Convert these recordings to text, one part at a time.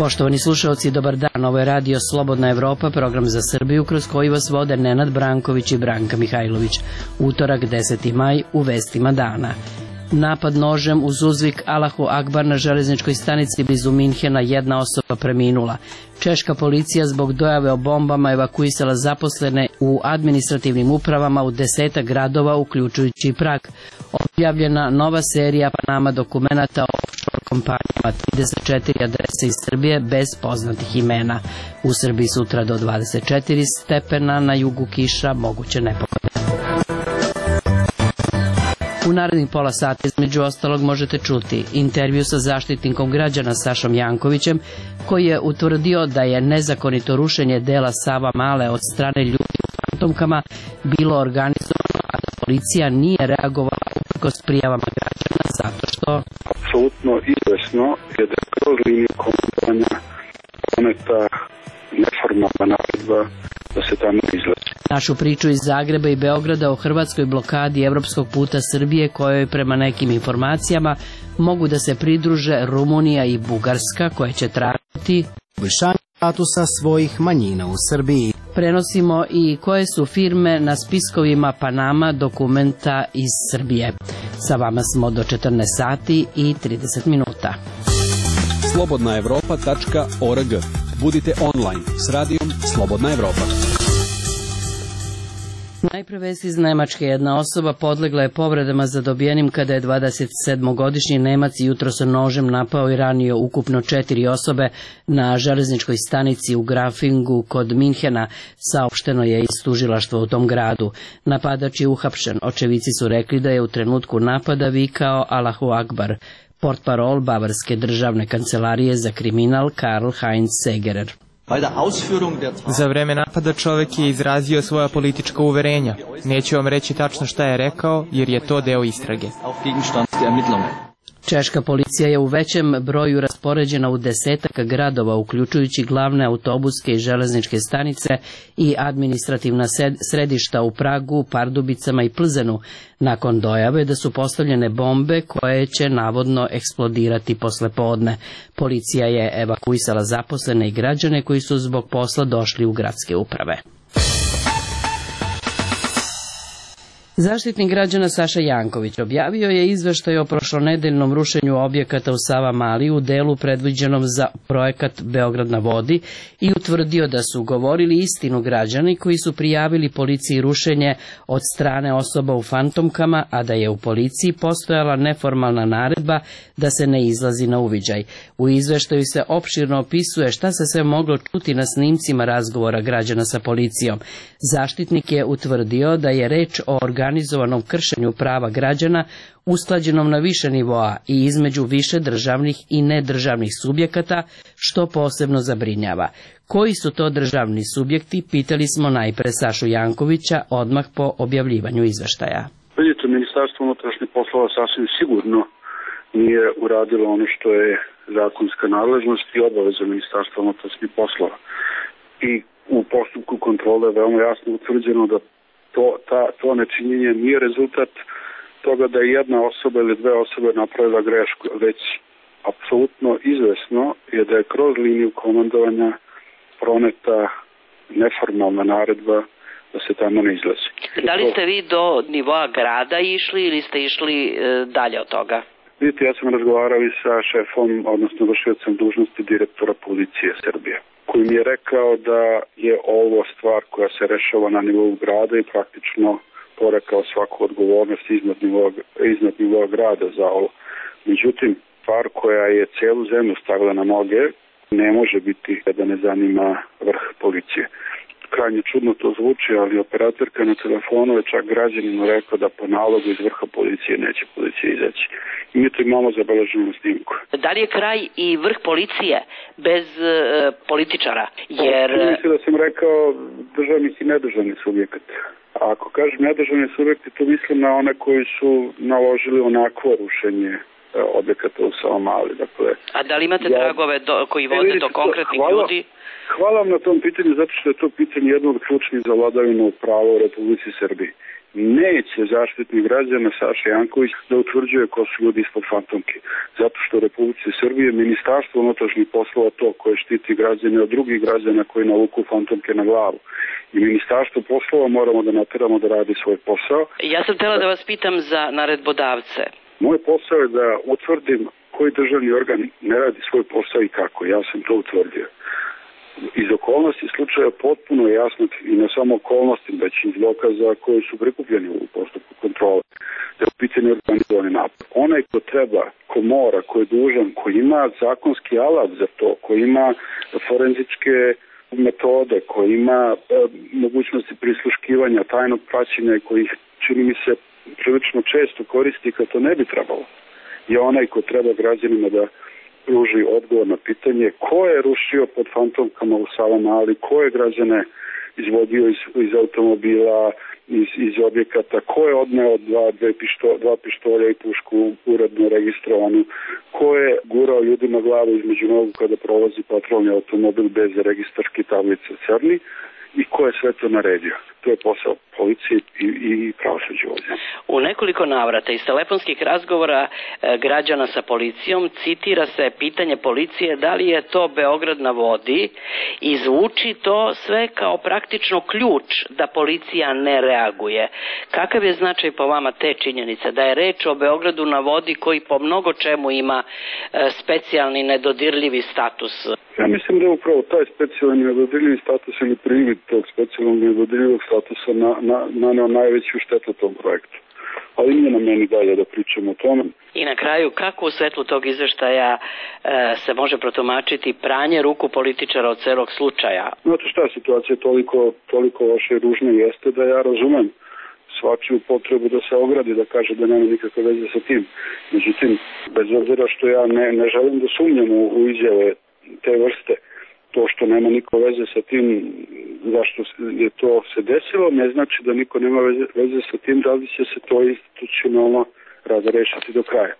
Poštovani slušalci, dobar dan. Ovo je radio Slobodna Evropa, program za Srbiju kroz koji vas vode Nenad Branković i Branka Mihajlović. Utorak, 10. maj, u vestima dana. Napad nožem uz uzvik Allahu Akbar na železničkoj stanici blizu Minhena, jedna osoba preminula. Češka policija zbog dojave o bombama evakuisala zaposlene u administrativnim upravama u 10 gradova, uključujući i Prag. Objavljena nova serija Panama dokumenata o offshore kompanijama, 34 adrese iz Srbije bez poznatih imena. U Srbiji sutra do 24 stepena, na jugu kiša, moguće nepogode. U narednih pola sata između ostalog možete čuti intervju sa zaštitnikom građana Sašom Jankovićem, koji je utvrdio da je nezakonito rušenje dela Savamale od strane ljudi u fantomkama bilo organizovano, a da policija nije reagovala uprkos prijavama građana zato što... Apsolutno izvesno je da kroz liniju komandovanja doneta neformalna naredba da se tamo izlazi. Našu priču iz Zagreba i Beograda o hrvatskoj blokadi evropskog puta Srbije, kojoj prema nekim informacijama mogu da se pridruže Rumunija i Bugarska, koje će tražiti poboljšanje statusa svojih manjina u Srbiji. Prenosimo i koje su firme na spiskovima Panama dokumenta iz Srbije. Sa vama smo do 14 sati i 30 minuta. slobodnaevropa.org. Budite online s radijom Slobodna Evropa. Najpre vest iz Nemačke. Jedna osoba podlegla je povredama zadobijenim kada je 27-godišnji Nemac jutros sa nožem napao i ranio ukupno 4 osobe na železničkoj stanici u Grafingu kod Minhena, saopšteno je iz tužilaštva u tom gradu. Napadač je uhapšen. Očevici su rekli da je u trenutku napada vikao Allahu Akbar. Portparol Bavarske državne kancelarije za kriminal Karl Heinz Segerer. Za vreme napada čovek je izrazio svoja politička uverenja. Neću vam reći tačno šta je rekao, jer je to deo istrage. Češka policija je u većem broju raspoređena u 10 gradova, uključujući glavne autobuske i železničke stanice i administrativna središta u Pragu, Pardubicama i Plzenu, nakon dojave da su postavljene bombe koje će navodno eksplodirati posle podne. Policija je evakuisala zaposlene i građane koji su zbog posla došli u gradske uprave. Zaštitnik građana Saša Janković objavio je izveštaj o prošlonedeljnom rušenju objekata u Savamali u delu predviđenom za projekat Beograd na vodi i utvrdio da su govorili istinu građani koji su prijavili policiji rušenje od strane osoba u fantomkama, a da je u policiji postojala neformalna naredba da se ne izlazi na uviđaj. U izveštaju se opširno opisuje šta se sve moglo čuti na snimcima razgovora građana sa policijom. Zaštitnik je utvrdio da je reč o organizovanom kršenju prava građana usklađenom na više nivoa i između više državnih i nedržavnih subjekata, što posebno zabrinjava. Koji su to državni subjekti, pitali smo najpre Sašu Jankovića odmah po objavljivanju izveštaja. Vidite, Ministarstvo unutrašnjih poslova sasvim sigurno nije uradilo ono što je zakonska nadležnost i obaveza Ministarstva unutrašnjih poslova. I u postupku kontrole je veoma jasno utvrđeno da to nečinjenje nije rezultat toga da je jedna osoba ili dve osobe napravila grešku, već apsolutno izvesno je da je kroz liniju komandovanja proneta neformalna naredba da se tamo ne izlazi. Da li ste vi do nivoa grada išli ili ste išli dalje od toga? Vidite, ja sam razgovarao i sa šefom, odnosno vršiocem dužnosti direktora policije Srbije, koji mi je rekao da je ovo stvar koja se rešava na nivou grada i praktično porekao svaku odgovornost iznad nivoa grada za ovo. Međutim, stvar koja je celu zemlju stavila na noge ne može biti da ne zanima vrh policije. Krajnje čudno to zvuči, ali operatorka na telefonu je čak građaninu rekao da po nalogu iz vrha policije neće policija izaći. I mi to imamo zabeleženo na snimku. Da li je kraj i vrh policije bez političara? Jer... Mislim da sam rekao državnih i nedržavnih subjekata. A ako kažem nedržavni subjekti, to mislim na one koji su naložili onakvo rušenje objekata u Savamali. Dakle, a da li imate tragove koji vode do konkretnih ljudi? Hvala vam na tom pitanju, zato što je to pitanje jedno od ključnih za vladavinu prava u Republici Srbiji. neće Zaštitnik građana Saša Janković da utvrđuje ko su ljudi ispod fantomke. Zato što u Republici Srbije Ministarstvo unutrašnjih poslova to koje štiti građane od drugih građana koji navuku fantomke na glavu. I Ministarstvo poslova moramo da nateramo da radi svoj posao. Ja sam htjela da vas pitam za naredbodavce. Moj posao je da utvrdim koji državni organ ne radi svoj posao i kako. Ja sam to utvrdio. Iz okolnosti slučaja potpuno jasno i ne samo okolnosti, već iz dokaza koji su prikupljeni u postupku kontrole, da je u pitanju organizovani napad. Onaj ko treba, ko mora, ko je dužan, ko ima zakonski alat za to, ko ima forenzičke metode, ko ima mogućnosti prisluškivanja, tajnog praćenja i kojih, čini mi se, prilično često koristi kad to ne bi trebalo, je onaj ko treba građanima da pruži odgovor na pitanje ko je rušio pod fantomkama u Savamali, ko je građane izvodio iz automobila, iz objekata, ko je odneo dva pištolja i pušku uredno registrovanu, ko je gurao ljudima glavu između nogu kada prolazi patrolni automobil bez registarske tablice crni i ko je sve to naredio. To je posao policije i pravosuđa ovdje. U nekoliko navrata iz telefonskih razgovora građana sa policijom citira se pitanje policije da li je to Beograd na vodi i zvuči to sve kao praktično ključ da policija ne reaguje. Kakav je značaj po vama te činjenice da je reč o Beogradu na vodi koji po mnogo čemu ima specijalni nedodirljivi status? Ja mislim da je upravo taj specijalni nedodirljivi status ili privid tog specijalnog nedodirljivog statusa naneo najveću štetu tom projektu. Ali nije na meni dalje da pričamo o tome. I na kraju, kako u svetlu tog izveštaja se može protumačiti pranje ruku političara od celog slučaja? Znate šta, situacija je toliko loša i ružna jeste da ja razumem svačiju potrebu da se ogradi, da kaže da nema nikakve veze sa tim. Međutim, bez obzira što ja ne želim da sumnjam u izjave te vrste, to što nema niko veze sa tim zašto je to se desilo, ne znači da niko nema veze sa tim, da li će se to institucionalno razrešiti do kraja.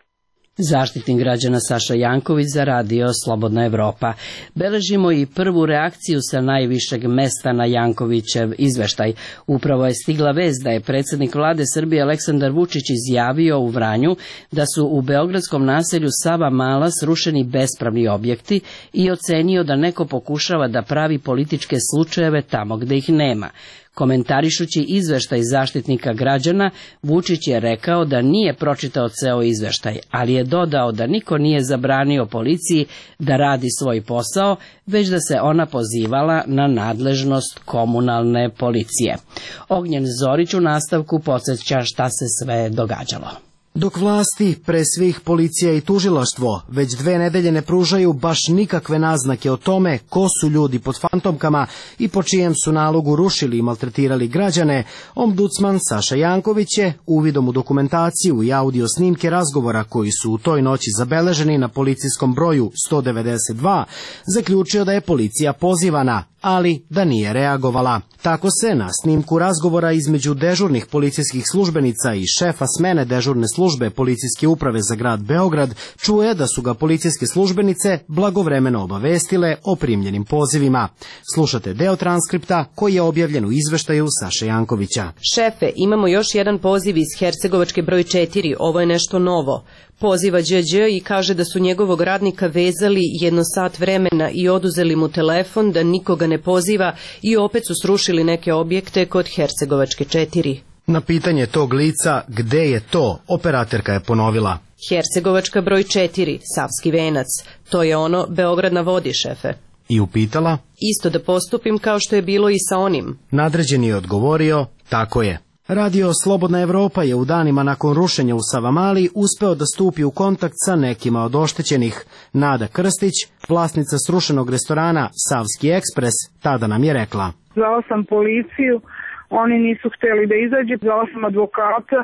Zaštitnik građana Saša Janković za Radio Slobodna Evropa. Beležimo i prvu reakciju sa najvišeg mesta na Jankovićev izveštaj. Upravo je stigla vest da je predsjednik vlade Srbije Aleksandar Vučić izjavio u Vranju da su u beogradskom naselju Savamala srušeni bespravni objekti i ocenio da neko pokušava da pravi političke slučajeve tamo gde ih nema. Komentarišući izveštaj Zaštitnika građana, Vučić je rekao da nije pročitao ceo izveštaj, ali je dodao da niko nije zabranio policiji da radi svoj posao, već da se ona pozivala na nadležnost komunalne policije. Ognjen Zorić u nastavku podsjeća šta se sve događalo. Dok vlasti, pre svih policija i tužilaštvo, već 2 nedelje ne pružaju baš nikakve naznake o tome ko su ljudi pod fantomkama i po čijem su nalogu rušili i maltretirali građane, ombudsman Saša Janković je uvidom u dokumentaciju i audio snimke razgovora koji su u toj noći zabeleženi na policijskom broju 192, zaključio da je policija pozivana, ali da nije reagovala. Tako se na snimku razgovora između dežurnih policijskih službenica i šefa smene dežurne službe policijske uprave za grad Beograd čuje da su ga policijske službenice blagovremeno obavestile o primljenim pozivima. Slušate deo transkripta koji je objavljen u izveštaju Saše Jankovića. Šefe, imamo još jedan poziv iz Hercegovačke broj 4, ovo je nešto novo. Poziva Đđ i kaže da su njegovog radnika vezali 1 sat vremena i oduzeli mu telefon, da nikoga ne poziva i opet su srušili neke objekte kod Hercegovačke 4. Na pitanje tog lica gde je to, operaterka je ponovila. Hercegovačka broj 4, Savski venac. To je ono Beograd na vodi, šefe. I upitala? Isto da postupim kao što je bilo i sa onim. Nadređeni je odgovorio, tako je. Radio Slobodna Evropa je u danima nakon rušenja u Savamali uspeo da stupi u kontakt sa nekima od oštećenih. Nada Krstić, vlasnica srušenog restorana Savski ekspres, tada nam je rekla. Zvala sam policiju, oni nisu hteli da izađe, zvala sam advokata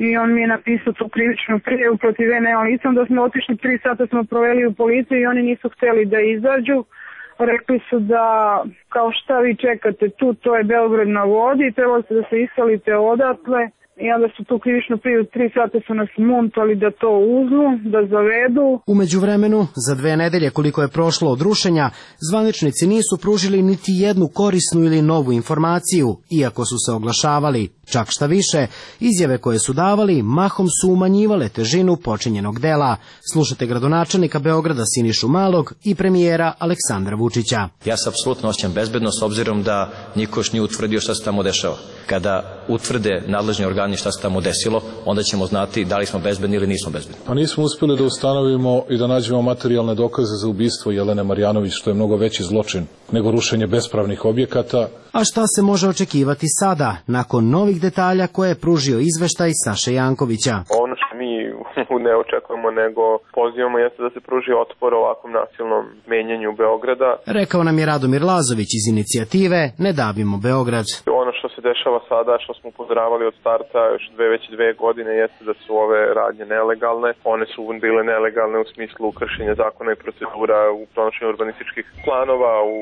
i on mi je napisao tu krivičnu prijavu protiv mene licom, da smo otišli 3 sata smo proveli u policiji i oni nisu hteli da izađu. Rekli su da kao šta vi čekate tu, to je Beograd na vodi, trebali ste da se iselite odatle i onda su tu krivičnu prijavu 3 sata su nas muntali da to uzmu, da zavedu. U međuvremenu, za 2 nedelje koliko je prošlo od rušenja, zvaničnici nisu pružili niti jednu korisnu ili novu informaciju, iako su se oglašavali. Čak šta više, izjave koje su davali mahom su umanjivale težinu počinjenog dela. Slušate gradonačelnika Beograda Sinišu Malog i premijera Aleksandra Vučića. Ja se apsolutno osjećam bezbedno s obzirom da niko još nije utvrdio šta se tamo dešava. Kada utvrde nadležni organi šta se tamo desilo, onda ćemo znati da li smo bezbedni ili nismo bezbedni. Pa nismo uspjeli da ustanovimo i da nađemo materijalne dokaze za ubistvo Jelene Marjanović, što je mnogo veći zločin nego rušenje bespravnih objekata. A šta se može očekivati sada, nakon novih detalja koje je pružio izveštaj Saše Jankovića? Ono što mi ne očekujemo, nego pozivamo jeste da se pruži otpor ovakvom nasilnom menjanju Beograda. Rekao nam je Radomir Lazović iz inicijative Ne davimo Beograd. Ono što se dešava sada, što smo upozoravali od starta još već 2 godine, jeste da su ove radnje nelegalne. One su bile nelegalne u smislu kršenja zakona i procedura u donošenju urbanističkih planova, u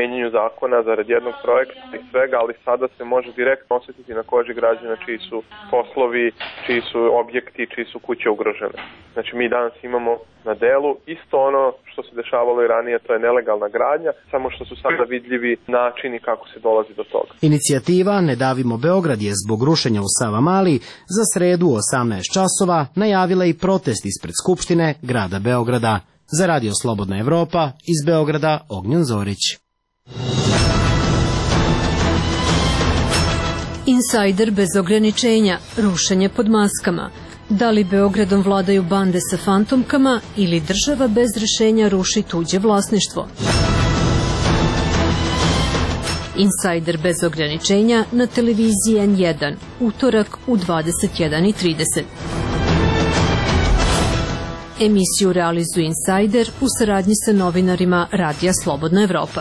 menjanju zakona zarad jednog projekta i svega, ali sada se može direktno osjetiti na koži građana čiji su poslovi, čiji su objekti, čiji su kuće ugrožene. Znači mi danas imamo na delu isto ono što se dešavalo i ranije, to je nelegalna gradnja, samo što su sada vidljivi načini kako se dolazi do toga. Inicijativa Ne davimo Beograd je zbog rušenja u Savamali za sredu u 18 časova najavila i protest ispred Skupštine grada Beograda. Za Radio Slobodna Evropa, iz Beograda, Ognjen Zorić. Insajder bez ograničenja, rušenje pod maskama. Da li Beogradom vladaju bande sa fantomkama ili država bez rešenja ruši tuđe vlasništvo? Insajder bez ograničenja na televiziji N1, utorak u 21:30. Emisiju realizuje Insajder u saradnji sa novinarima Radija Slobodna Evropa.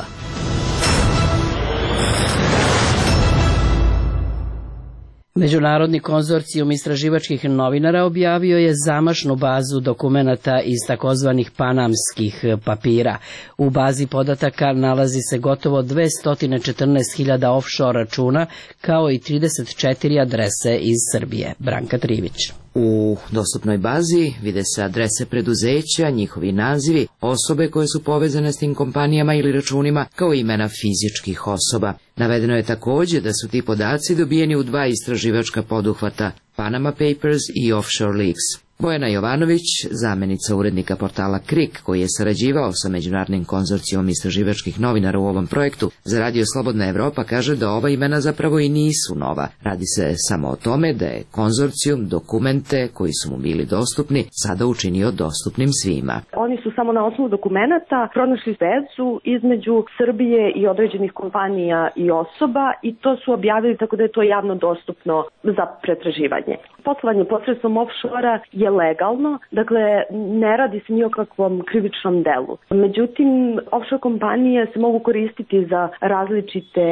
Međunarodni konzorcijum istraživačkih novinara objavio je zamašnu bazu dokumenata iz takozvanih panamskih papira. U bazi podataka nalazi se gotovo 214.000 offshore računa, kao i 34 adrese iz Srbije. Branka Trivić. U dostupnoj bazi vide se adrese preduzeća, njihovi nazivi, osobe koje su povezane s tim kompanijama ili računima, kao imena fizičkih osoba. Navedeno je također da su ti podaci dobijeni u 2 istraživačka poduhvata, Panama Papers i Offshore Leaks. Bojana Jovanović, zamenica urednika portala KRIK, koji je sarađivao sa Međunarodnim konzorcijom istraživačkih novinara u ovom projektu, za Radio Slobodna Evropa kaže da ova imena zapravo i nisu nova. Radi se samo o tome da je konzorcijum dokumente koji su mu bili dostupni sada učinio dostupnim svima. Oni su samo na osnovu dokumenata pronašli vezu između Srbije i određenih kompanija i osoba i to su objavili tako da je to javno dostupno za pretraživanje. Poslovanje posredstvom offshore je legalno, dakle ne radi se ni o kakvom krivičnom delu. Međutim, offshore kompanije se mogu koristiti za različite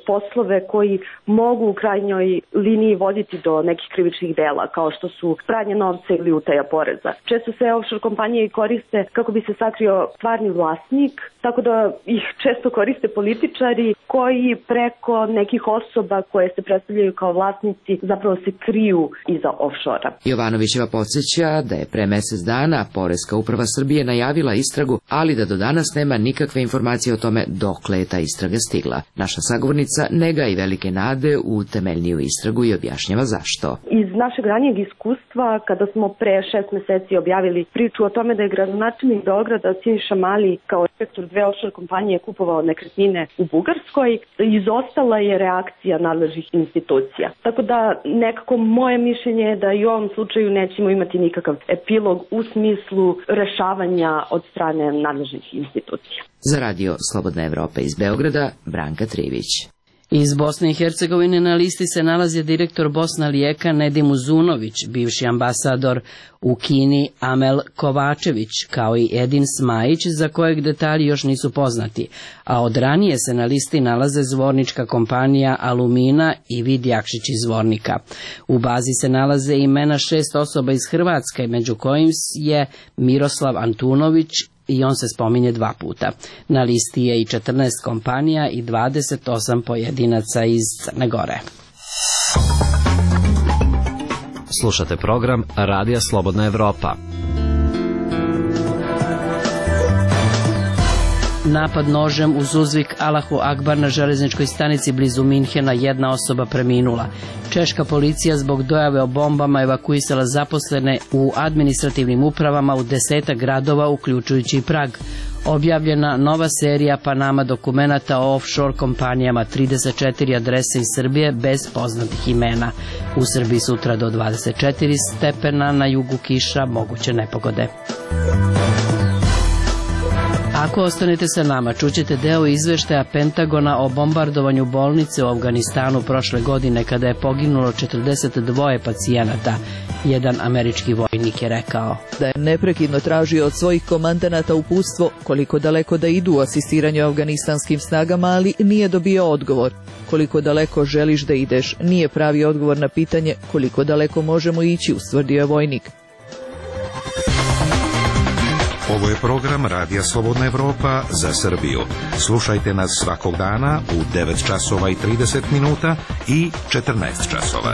poslove koji mogu u krajnjoj liniji voditi do nekih krivičnih dela, kao što su pranje novca ili utaja poreza. Često se offshore kompanije koriste kako bi se sakrio stvarni vlasnik, tako da ih često koriste političari koji preko nekih osoba koje se predstavljaju kao vlasnici zapravo se kriju iza offshore-a. Jovanovićeva podsjeća da je pre mesec dana Poreska uprava Srbije najavila istragu, ali da do danas nema nikakve informacije o tome dokle je ta istraga stigla. Naša sagovornica ne gaji velike nade u temeljniju istragu i objašnjava zašto. Iz našeg ranijeg iskustva, kada smo pre 6 meseci objavili priču o tome da je gradonačelnik Beograda Siniša Mali kao direktor 2 offshore kompanije kupovao nekretnine u Bugarskoj, izostala je reakcija nadležnih institucija. Tako da nekako moje mišljenje je da i u ovom slučaju nećemo imati nikakav epilog u smislu rešavanja od strane nadležnih institucija. Za Radio Slobodna Evropa iz Beograda, Branka Trivić. Iz Bosne i Hercegovine na listi se nalazi direktor Bosna Lijeka Nedim Uzunović, bivši ambasador u Kini Amel Kovačević, kao i Edin Smajić, za kojeg detalji još nisu poznati, a od ranije se na listi nalaze zvornička kompanija Alumina i Vid Jakšić iz Zvornika. U bazi se nalaze imena 6 osoba iz Hrvatske, među kojim je Miroslav Antunović, i on se spominje 2 puta. Na listi je i 14 kompanija i 28 pojedinaca iz Crne Gore. Slušate program Radija Slobodna Evropa. napad nožem uz uzvik Allahu Akbar na železničkoj stanici blizu Minhena, jedna osoba preminula. Češka policija zbog dojave o bombama evakuisala zaposlene u administrativnim upravama u 10 gradova, uključujući i Prag. Objavljena nova serija Panama dokumenata o offshore kompanijama, 34 adrese iz Srbije bez poznatih imena. U Srbiji sutra do 24 stepena, na jugu kiša, moguće nepogode. Ako ostanete sa nama, čućete deo izveštaja Pentagona o bombardovanju bolnice u Afganistanu prošle godine kada je poginulo 42 pacijenata. Jedan američki vojnik je rekao da je neprekidno tražio od svojih komandanata uputstvo koliko daleko da idu u asistiranju afganistanskim snagama, ali nije dobio odgovor. Koliko daleko želiš da ideš, nije pravi odgovor na pitanje koliko daleko možemo ići, ustvrdio je vojnik. Ovo je program Radija Slobodna Evropa za Srbiju. Slušajte nas svakog dana u 9 časova i 30 minuta i 14 časova.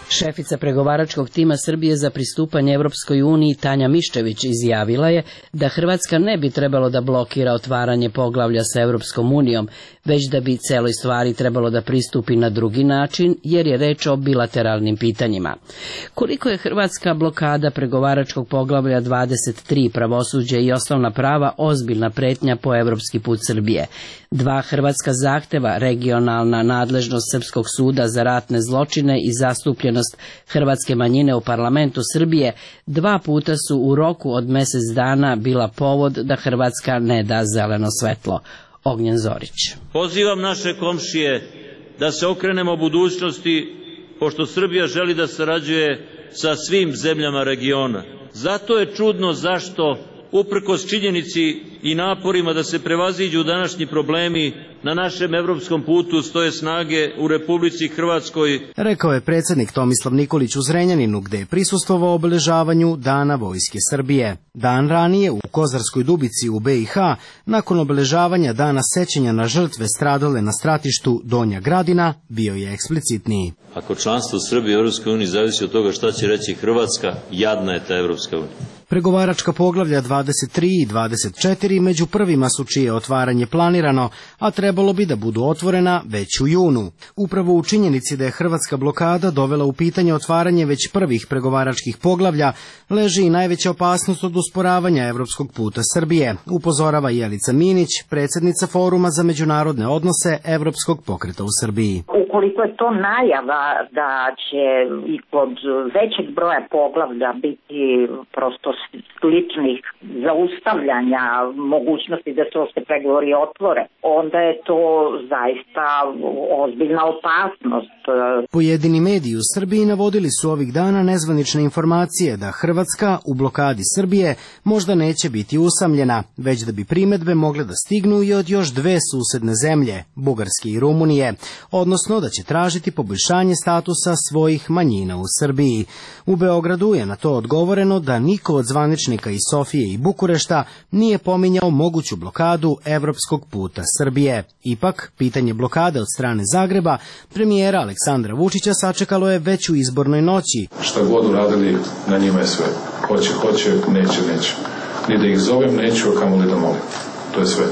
Šefica pregovaračkog tima Srbije za pristupanje Evropskoj uniji Tanja Miščević izjavila je da Hrvatska ne bi trebalo da blokira otvaranje poglavlja sa Evropskom unijom, već da bi celoj stvari trebalo da pristupi na drugi način, jer je reč o bilateralnim pitanjima. Koliko je hrvatska blokada pregovaračkog poglavlja 23 pravosuđe i osnovna prava ozbiljna pretnja po evropski put Srbije? 2 hrvatska zahteva, regionalna nadležnost Srpskog suda za ratne zločine i zastupljenost hrvatske manjine u parlamentu Srbije, 2 puta su u roku od mjesec dana bila povod da Hrvatska ne da zeleno svetlo. Ognjen Zorić. Pozivam naše komšije da se okrenemo budućnosti, pošto Srbija želi da sarađuje sa svim zemljama regiona. Zato je čudno zašto, uprkos činjenici i naporima da se prevaziđu današnji problemi, na našem evropskom putu stoje snage u Republici Hrvatskoj. Rekao je predsjednik Tomislav Nikolić u Zrenjaninu, gde je prisustvovao obeležavanju Dana Vojske Srbije. Dan ranije u Kozarskoj Dubici u BiH, nakon obeležavanja Dana sećanja na žrtve stradale na stratištu Donja Gradina, bio je eksplicitniji. Ako članstvo Srbije u Evropskoj uniji zavisi od toga šta će reći Hrvatska, jadna je ta Evropska unija. Pregovaračka poglavlja 23 i 24 među prvima su čije otvaranje planirano, a trebalo bi da budu otvorena već u junu. Upravo u činjenici da je hrvatska blokada dovela u pitanje otvaranje već prvih pregovaračkih poglavlja, leži i najveća opasnost od usporavanja evropskog puta Srbije, upozorava Jelica Minić, predsjednica Foruma za međunarodne odnose Evropskog pokreta u Srbiji. Ukoliko je to najava da će i kod većeg broja poglavlja biti prosto sličnih zaustavljanja mogućnosti da se pregovori otvore, onda je to zaista ozbiljna opasnost. Pojedini mediji u Srbiji navodili su ovih dana nezvanične informacije da Hrvatska u blokadi Srbije možda neće biti usamljena, već da bi primedbe mogle da stignu i od još 2 susedne zemlje, Bugarske i Rumunije, odnosno da će tražiti poboljšanje statusa svojih manjina u Srbiji. U Beogradu je na to odgovoreno da niko od zvaničnika iz Sofije i Bukurešta nije pominjao moguću blokadu evropskog puta Srbije. Ipak, pitanje blokade od strane Zagreba premijera Aleksandra Vučića sačekalo je već u izbornoj noći. Šta god uradili, na njima je sve. Hoće, neće. Ni da ih zovem neću, a kamoli da molim. To je sve.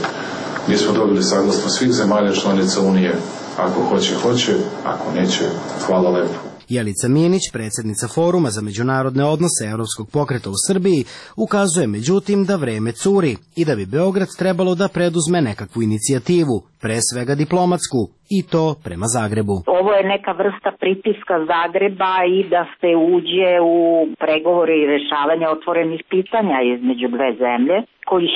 Mi smo dobili saglasnost svih zemalja članica Unije. Ako hoće, ako neće, hvala lepo. Jelica Minić, predsjednica Foruma za međunarodne odnose Evropskog pokreta u Srbiji, ukazuje međutim da vreme curi i da bi Beograd trebalo da preduzme nekakvu inicijativu, pre svega diplomatsku, i to prema Zagrebu. Ovo je neka vrsta pritiska Zagreba i da se uđe u pregovore i rešavanje otvorenih pitanja između 2 zemlje, kojih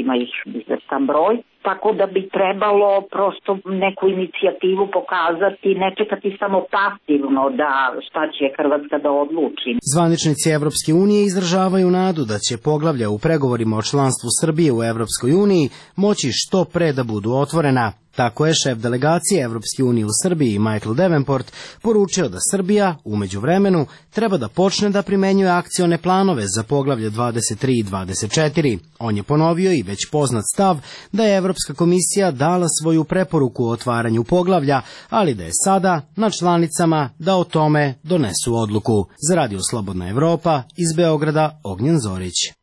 ima ih izvestan broj. Tako da bi trebalo prosto neku inicijativu pokazati, ne čekati samo pasivno da šta će Hrvatska da odluči. Zvaničnici Evropske unije izražavaju nadu da će poglavlja u pregovorima o članstvu Srbije u Evropskoj uniji moći što pre da budu otvorena. Tako je šef delegacije Evropske unije u Srbiji Michael Davenport poručio da Srbija, u međuvremenu, treba da počne da primenjuje akcione planove za poglavlje 23 i 24. On je ponovio i već poznat stav da je Evropska komisija dala svoju preporuku o otvaranju poglavlja, ali da je sada na članicama da o tome donesu odluku. Za Radio Slobodna Evropa, iz Beograda, Ognjen Zorić.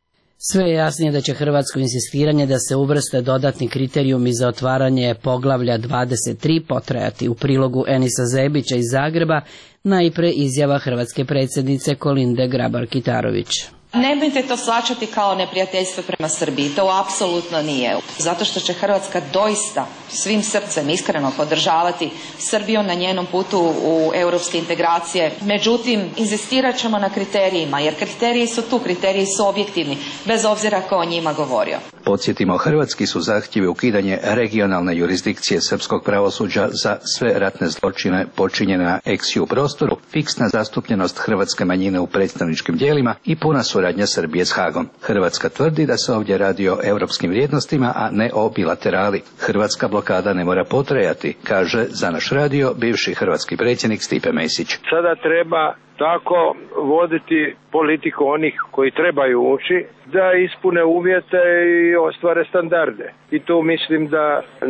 Sve je jasnije da će hrvatsko insistiranje da se uvrste dodatni kriterijumi za otvaranje poglavlja 23 potrajati. U prilogu Enisa Zebića iz Zagreba najpre izjava hrvatske predsjednice Kolinde Grabar-Kitarović. Nemojte to shvaćati kao neprijateljstvo prema Srbiji, to apsolutno nije. Zato što će Hrvatska doista svim srcem iskreno podržavati Srbiju na njenom putu u europske integracije. Međutim, inzistirat ćemo na kriterijima, jer kriteriji su tu, kriteriji su objektivni, bez obzira ko o njima govorio. Podsjetimo, hrvatski su zahtjevi ukidanje regionalne jurisdikcije srpskog pravosuđa za sve ratne zločine počinjene na ex-ju prostoru, fiksna zastupljenost hrvatske manjine u predstavničkim tijelima i puna suradnja Srbije s Hagom. Hrvatska tvrdi da se ovdje radi o europskim vrijednostima, a ne o bilaterali. Hrvatska blokada ne mora potrajati, kaže za naš radio bivši hrvatski predsjednik Stipe Mesić. Sada treba tako voditi politiku onih koji trebaju ući, da ispune uvjete i ostvare standarde. I tu mislim da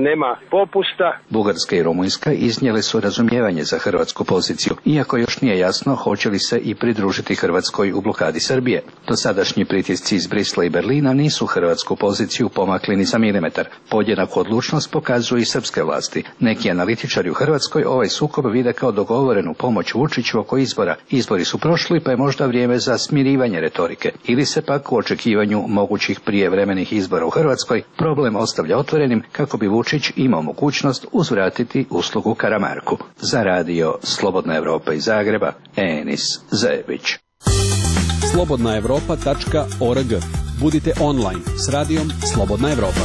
nema popusta. Bugarska i Rumunjska iznijele su razumijevanje za hrvatsku poziciju, iako još nije jasno hoće li se i pridružiti Hrvatskoj u blokadi Srbije. Dosadašnji pritisci iz Brisla i Berlina nisu hrvatsku poziciju pomakli ni za milimetar. Podjednaku odlučnost pokazuju i srpske vlasti. Neki analitičari u Hrvatskoj ovaj sukob vide kao dogovorenu pomoć Vučiću oko izbora. Izbori su prošli, pa je možda vrijeme za smirivanje retorike. Ili se pak u očekivanju mogućih prijevremenih izbora u Hrvatskoj problem ostavlja otvorenim kako bi Vučić imao mogućnost uzvratiti uslugu Karamarku. Za radio Slobodna Evropa iz Zagreba, Enis Zebić. slobodnaevropa.org. Budite online s radijom Slobodna Evropa.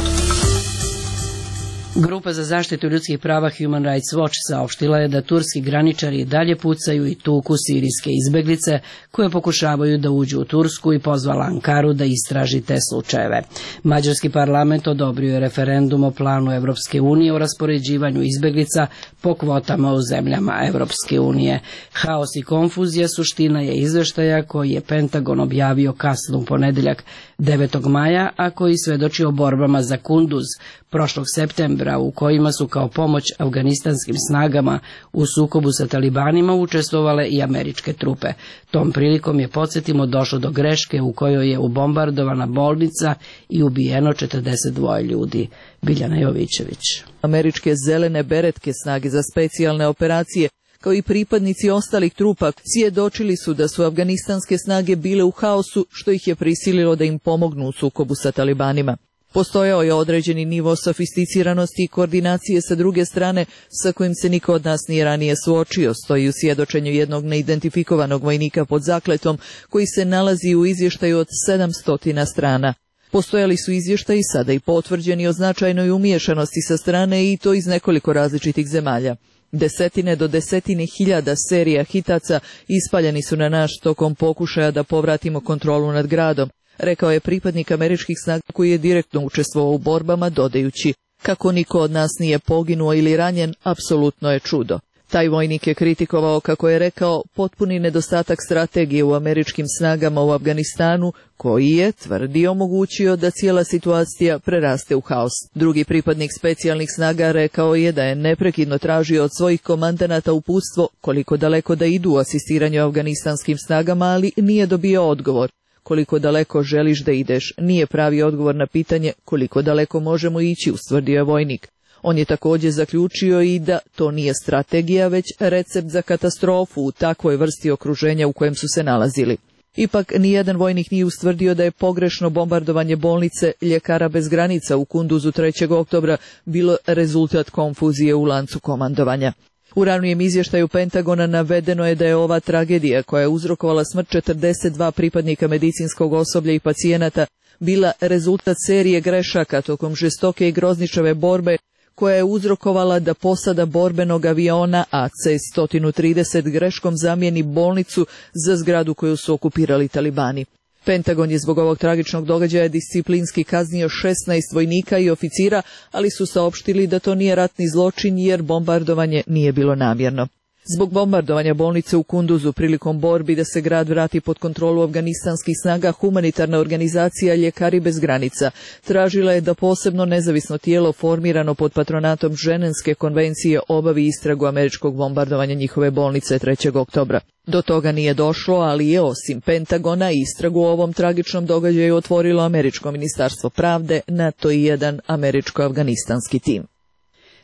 Grupa za zaštitu ljudskih prava Human Rights Watch saopštila je da turski graničari i dalje pucaju i tuku sirijske izbeglice koje pokušavaju da uđu u Tursku i pozvala Ankaru da istraži te slučajeve. Mađarski parlament odobrio je referendum o planu Evropske unije o raspoređivanju izbeglica po kvotama u zemljama Evropske unije. Haos i konfuzija suština je izveštaja koji je Pentagon objavio kasno u ponedeljak 9. maja, a koji svedoči o borbama za Kunduz prošlog septembra, u kojima su kao pomoć afganistanskim snagama u sukobu sa talibanima učestvovale i američke trupe. Tom prilikom je, podsjetimo, došlo do greške u kojoj je ubombardovana bolnica i ubijeno 42 ljudi. Biljana Jovićević. Američke zelene beretke, snage za specijalne operacije, kao i pripadnici ostalih trupa, svjedočili su da su afganistanske snage bile u haosu, što ih je prisililo da im pomognu u sukobu sa talibanima. Postojao je određeni nivo sofisticiranosti i koordinacije sa druge strane, sa kojim se niko od nas nije ranije suočio, stoji u svjedočenju jednog neidentifikovanog vojnika pod zakletom, koji se nalazi u izvještaju od 700 strana. Postojali su izvještaji sada i potvrđeni o značajnoj umiješanosti sa strane, i to iz nekoliko različitih zemalja. Desetine do desetine hiljada serija hitaca ispaljeni su na naš tokom pokušaja da povratimo kontrolu nad gradom, rekao je pripadnik američkih snaga koji je direktno učestvovao u borbama, dodajući: kako niko od nas nije poginuo ili ranjen, apsolutno je čudo. Taj vojnik je kritikovao, kako je rekao, potpuni nedostatak strategije u američkim snagama u Afganistanu, koji je, tvrdi, omogućio da cijela situacija preraste u haos. Drugi pripadnik specijalnih snaga rekao je da je neprekidno tražio od svojih komandanata uputstvo koliko daleko da idu u asistiranju afganistanskim snagama, ali nije dobio odgovor. Koliko daleko želiš da ideš, nije pravi odgovor na pitanje koliko daleko možemo ići, ustvrdio je vojnik. On je također zaključio i da to nije strategija, već recept za katastrofu u takvoj vrsti okruženja u kojem su se nalazili. Ipak, nijedan vojnik nije ustvrdio da je pogrešno bombardovanje bolnice Ljekara bez granica u Kunduzu 3. oktobra bilo rezultat konfuzije u lancu komandovanja. U ranijem izvještaju Pentagona navedeno je da je ova tragedija, koja je uzrokovala smrt 42 pripadnika medicinskog osoblja i pacijenata, bila rezultat serije grešaka tokom žestoke i grozničave borbe, koja je uzrokovala da posada borbenog aviona AC-130 greškom zamijeni bolnicu za zgradu koju su okupirali talibani. Pentagon je zbog ovog tragičnog događaja disciplinski kaznio 16 vojnika i oficira, ali su saopštili da to nije ratni zločin jer bombardovanje nije bilo namjerno. Zbog bombardovanja bolnice u Kunduzu prilikom borbi da se grad vrati pod kontrolu afganistanskih snaga, humanitarna organizacija Ljekari bez granica tražila je da posebno nezavisno tijelo formirano pod patronatom Ženevske konvencije obavi istragu američkog bombardovanja njihove bolnice 3. oktobra. Do toga nije došlo, ali je osim Pentagona istragu o ovom tragičnom događaju otvorilo američko ministarstvo pravde, NATO i jedan američko-afganistanski tim.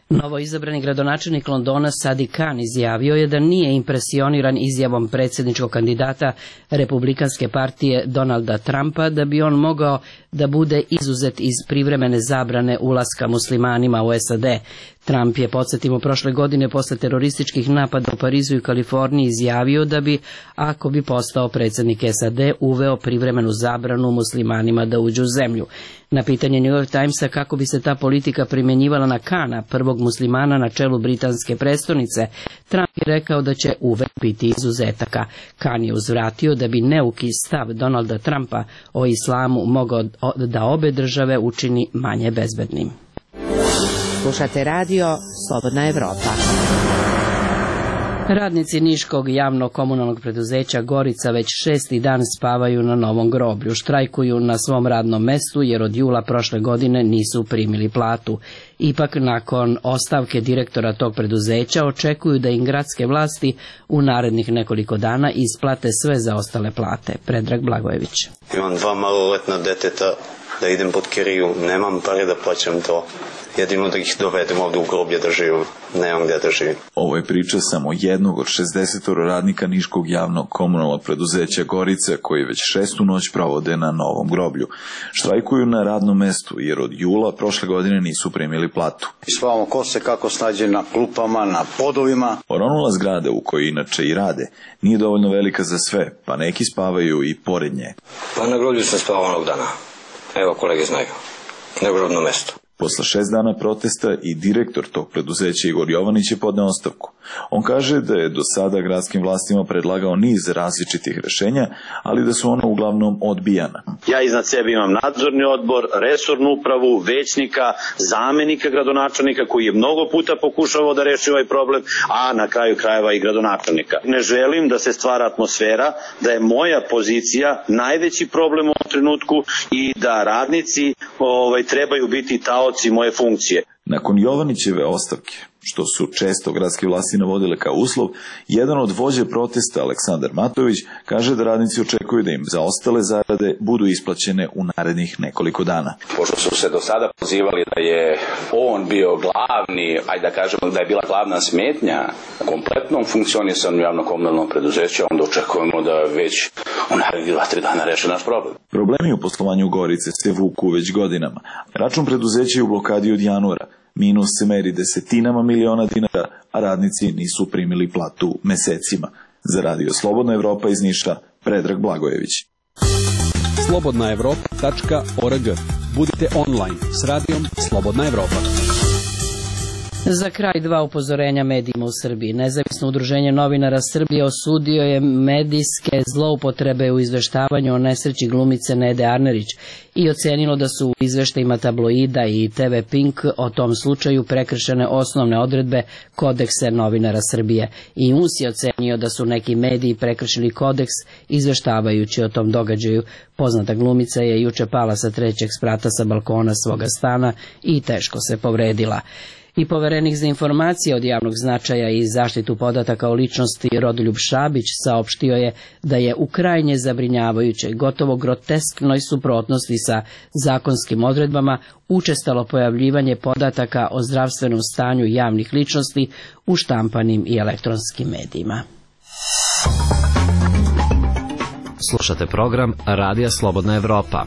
Novo izabrani gradonačelnik Londona Sadiq Khan izjavio je da nije impresioniran izjavom predsjedničkog kandidata Republikanske partije Donalda Trumpa da bi on mogao da bude izuzet iz privremene zabrane ulaska muslimanima u SAD. Trump je, podsjetimo, prošle godine posle terorističkih napada u Parizu i Kaliforniji izjavio da bi, ako bi postao predsjednik SAD, uveo privremenu zabranu muslimanima da uđu u zemlju. Na pitanje New York Timesa kako bi se ta politika primjenjivala na Khana, prvog muslimana na čelu britanske prestonice, Trump je rekao da će uvek biti izuzetaka. Khan je uzvratio da bi neuki stav Donalda Trumpa o islamu mogao da obe države učini manje bezbednim. Slušate radio Slobodna Evropa. Radnici Niškog javnog komunalnog preduzeća Gorica već 6. dan spavaju na novom groblju. Štrajkuju na svom radnom mestu jer od jula prošle godine nisu primili platu. Ipak nakon ostavke direktora tog preduzeća očekuju da im gradske vlasti u narednih nekoliko dana isplate sve zaostale plate. Predrag Blagojević. Imam 2 maloletna deteta da idem pod kiriju, nemam pare da plaćam to. Jedino da ih dovedem ovdje u groblje da živim, nemam gdje da živim. Ovo je priča samo jednog od 60 radnika Niškog javnog komunalnog preduzeća Gorica koji već 6. noć provode na novom groblju. Štrajkuju na radnom mestu jer od jula prošle godine nisu primili platu. Spavamo ko se kako snađe na klupama, na podovima. Oronula zgrada u kojoj inače i rade nije dovoljno velika za sve, pa neki spavaju i pored nje. Pa na groblju sam spavao onog dana. Evo, kolege znaju. Na grobno mesto. Posle 6 dana protesta i direktor tog preduzeća Igor Jovanić je podneo ostavku. On kaže da je do sada gradskim vlastima predlagao niz različitih rešenja, ali da su ona uglavnom odbijana. Ja iznad sebe imam nadzorni odbor, resornu upravu, većnika, zamenika gradonačelnika koji je mnogo puta pokušavao da reši ovaj problem, a na kraju krajeva i gradonačelnika. Ne želim da se stvara atmosfera da je moja pozicija najveći problem u ovom trenutku i da radnici trebaju biti taoci moje funkcije. Nakon Jovanićeve ostavke, što su često gradske vlasti navodile kao uslov, jedan od vođe protesta, Aleksandar Matović, kaže da radnici očekuju da im zaostale zarade budu isplaćene u narednih nekoliko dana. Pošto su se do sada pozivali da je on bio glavni, ajde da kažemo da je bila glavna smetnja kompletnom funkcionisanju javno-komunalnog preduzeća, onda očekujemo da već u narednih 2-3 dana reše naš problem. Problemi u poslovanju Gorice se vuku već godinama. Račun preduzeća je u blokadi od januara. Minus se meri desetinama miliona dinara, a radnici nisu primili platu mesecima. Za radio Slobodna Evropa iz Niša, Predrag Blagojević. slobodnaevropa.org. Budite online s radijom Slobodna Evropa. Za kraj 2 upozorenja medijima u Srbiji. Nezavisno udruženje novinara Srbije osudio je medijske zloupotrebe u izveštavanju o nesreći glumice Nede Arnerić i ocenilo da su u izveštajima tabloida i TV Pink o tom slučaju prekršene osnovne odredbe Kodeksa novinara Srbije. I UNS je ocenio da su neki mediji prekršili kodeks izveštavajući o tom događaju. Poznata glumica je juče pala sa 3. sprata sa balkona svoga stana i teško se povredila. I poverenik za informacije od javnog značaja i zaštitu podataka o ličnosti Rodoljub Šabić saopštio je da je u krajnje zabrinjavajućoj, gotovo grotesknoj suprotnosti sa zakonskim odredbama učestalo pojavljivanje podataka o zdravstvenom stanju javnih ličnosti u štampanim i elektronskim medijima. Slušate program Radija Slobodna Evropa.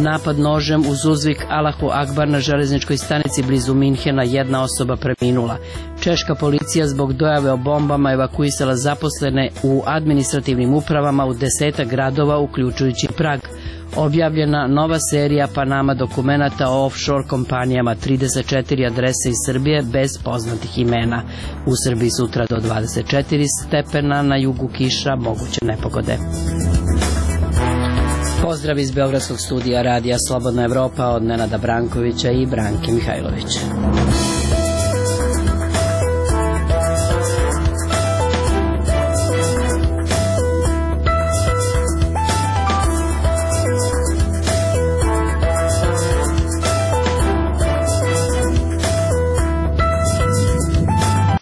Napad nožem uz uzvik Allahu Akbar na železničkoj stanici blizu Minhena, 1 osoba preminula. Češka policija zbog dojave o bombama evakuisala zaposlene u administrativnim upravama u 10 gradova, uključujući Prag. Objavljena nova serija Panama dokumenata o offshore kompanijama, 34 adrese iz Srbije bez poznatih imena. U Srbiji sutra do 24 stepena, na jugu kiša, moguće nepogode. Pozdrav iz Beogradskog studija Radija Slobodna Evropa od Nenada Brankovića i Branke Mihajlovića.